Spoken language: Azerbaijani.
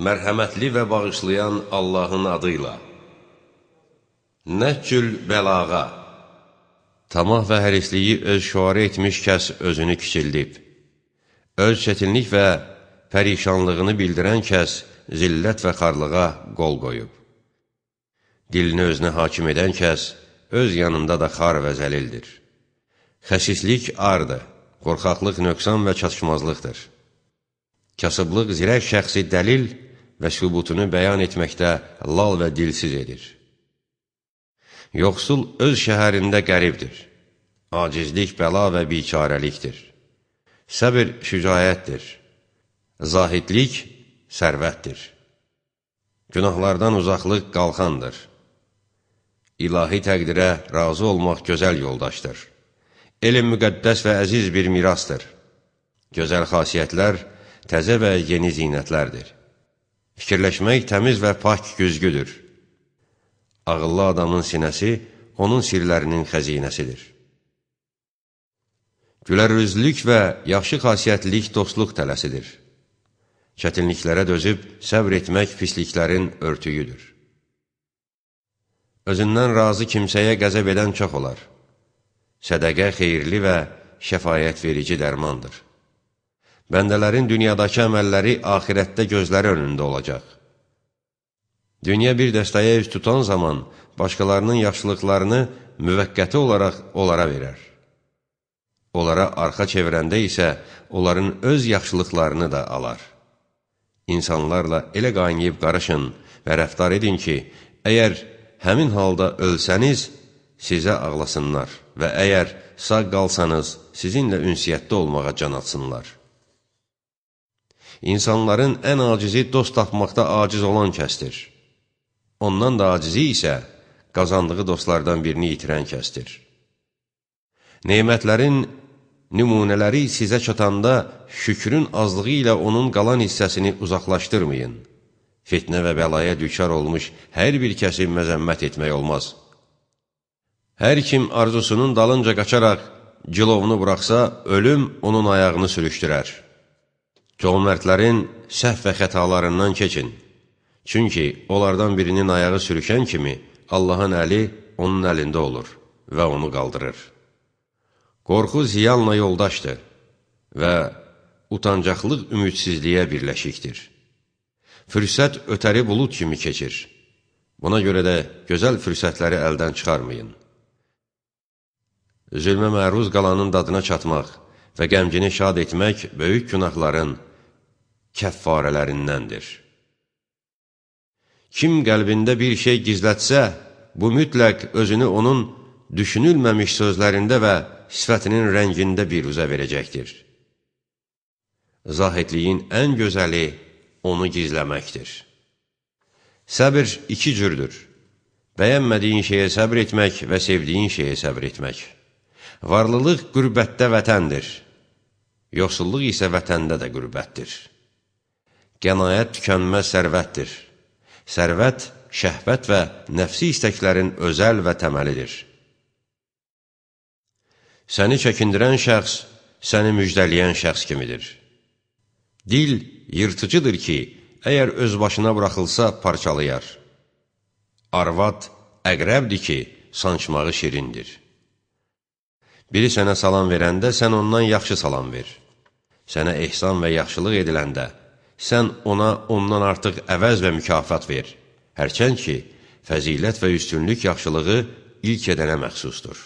Mərhəmətli və bağışlayan Allahın adıyla. Nəhcül bəlağa. Tamah və hərisliyi öz şüarı etmiş kəs özünü kiçildib. Öz çətinlik və pərişanlığını bildirən kəs zillət və xarlığa qol qoyub. Dilini özünə hakim edən kəs öz yanında da xar və zəlildir. Xəsislik ardır, qorxaqlıq nöqsan və çatışmazlıqdır. Kasıblıq zirək şəxsi dəlil və sübutunu bəyan etməkdə lal və dilsiz edir. Yoxsul öz şəhərində qəribdir. Acizlik bəla və biçarəlikdir. Səbir şücaətdir. Zahidlik sərvətdir. Günahlardan uzaqlıq qalxandır. İlahi təqdirə razı olmaq gözəl yoldaşdır. Elm müqəddəs və əziz bir mirasdır. Gözəl xasiyyətlər təzə və yeni zinətlərdir. Fikirləşmək təmiz və pak güzgüdür. Ağıllı adamın sinəsi onun sirlərinin xəzinəsidir. Gülərüzlülük və yaxşı xasiyyətlilik dostluq tələsidir. Çətinliklərə dözüb səbr etmək pisliklərin örtüyüdür. Özündən razı kimsəyə qəzəb edən çox olar. Sədəqə xeyirli və şəfayət verici dərmandır. Bəndələrin dünyadakı əməlləri axirətdə gözləri önündə olacaq. Dünya bir dəstəyə üst tutan zaman başqalarının yaxşılıqlarını müvəqqəti olaraq onlara verər. Onlara arxa çevirəndə isə onların öz yaxşılıqlarını da alar. İnsanlarla elə qaynayıb qarışın və rəftar edin ki, əgər həmin halda ölsəniz, sizə ağlasınlar və əgər sağ qalsanız, sizinlə ünsiyyətdə olmağa can atsınlar. İnsanların ən acizi dost tapmaqda aciz olan kəsdir. Ondan da acizi isə qazandığı dostlardan birini itirən kəsdir. Neymətlərin nümunələri sizə çatanda şükrün azlığı ilə onun qalan hissəsini uzaqlaşdırmayın. Fitnə və bəlaya düçar olmuş hər bir kəsi məzəmmət etmək olmaz. Hər kim arzusunun dalınca qaçaraq cilovunu buraxsa, ölüm onun ayağını sürüşdürər. Cömertlərin səhv və xətalarından keçin. Çünki onlardan birinin ayağı sürüşən kimi Allahın əli onun əlində olur və onu qaldırır. Qorxu ziyanla yoldaşdır və utancaqlıq ümidsizliyə birləşikdir. Fürsət ötəri bulud kimi keçir. Buna görə də gözəl fürsətləri əldən çıxarmayın. Zülmə məruz qalanın dadına çatmaq və qəmcini şad etmək böyük günahların kəffarələrindəndir. Kim qəlbində bir şey gizlətsə, bu mütləq özünü onun düşünülməmiş sözlərində və sifətinin rəngində bir üzə verəcəkdir. Zahidliyin ən gözəli onu gizləməkdir. Səbir iki cürdür. Bəyənmədiyin şeyə səbr etmək və sevdiyin şeyə səbr etmək. Varlılıq qürbətdə vətəndir. Yoxsulluq isə vətəndə də qürbətdir. Qənaət tükənməz sərvətdir. Sərvət, şəhvət və nəfsi istəklərin özəl və təməlidir. Səni çəkindirən şəxs, səni müjdələyən şəxs kimidir. Dil yırtıcıdır ki, əgər öz başına buraxılsa parçalayar. Arvad əqrəbdir ki, sancmağı şirindir. Biri sənə salam verəndə, sən ondan yaxşı salam ver. Sənə ehsan və yaxşılıq ediləndə, sən ona ondan artıq əvəz və mükafat ver. Hərçənd ki, fəzilət və üstünlük yaxşılığı ilk edənə məxsusdur.